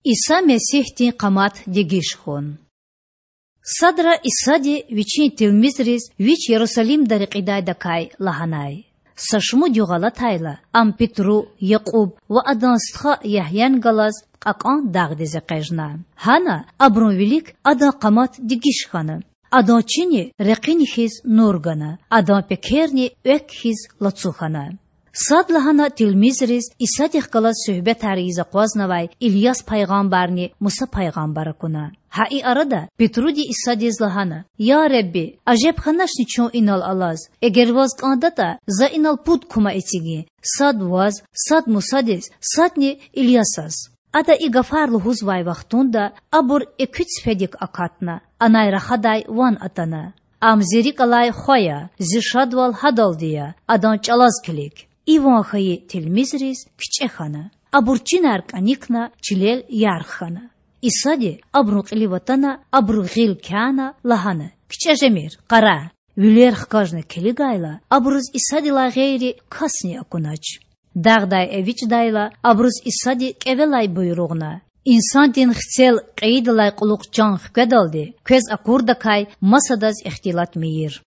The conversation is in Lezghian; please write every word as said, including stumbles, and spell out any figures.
Иса Месигьдин къамат дегиш хьун. Садра Исади Вичин тилмизриз Вич Ярусалимда рекьидайдакай лагьанай: Са шумуд югъ алатайла, Ам Петру, Якьуб ва адан стха Ягьяни галаз кьакьан дагъдиз экъечІна. Гьана абурун вилик Адан къамат дегиш хьана. Адан чини рекьини хьиз нур гана, Адан пекерни экв хьиз лацу хьана. Садлагьана тилмизриз Исадихъ галаз суьгьбетар ийиз акъвазнавай Ильяс пайгъамбарни Муса пайгъамбар акуна. Гьа и арада Петруди Исадиз лагьана: Я Худа, ажеб хьаначни чун инал алаз? Эгер Ваз кІандатІа, за инал пуд кума эцигин: сад Ваз, сад Мусадиз, садни Ильясаз. Ада и гафар лугьузвай вахтунда абур экуь цифедик акатна, анай рахадай ван атана: Ам Зи рикІ алай Хва я, Зи шадвал Гьадалди я, Адан чІалаз килиг. И ван хьайи тилмизриз кичІе хьана. Абур чинар кІаникна, чилел ярх хьана. Исади абурун кьилив атана, абурук гъил кяна, лагьана: КичІе жемир, къарагъ! Вилер хкажна килигайла, абуруз Исадилай гъейри касни акунач. Дагъдай эвичІдайла, абуруз Исади кІевелай буйругъна: Инсандин Хцел кьейидалай кьулухъ чан хкведалди квез акурдакай масадаз ихтилат мийир.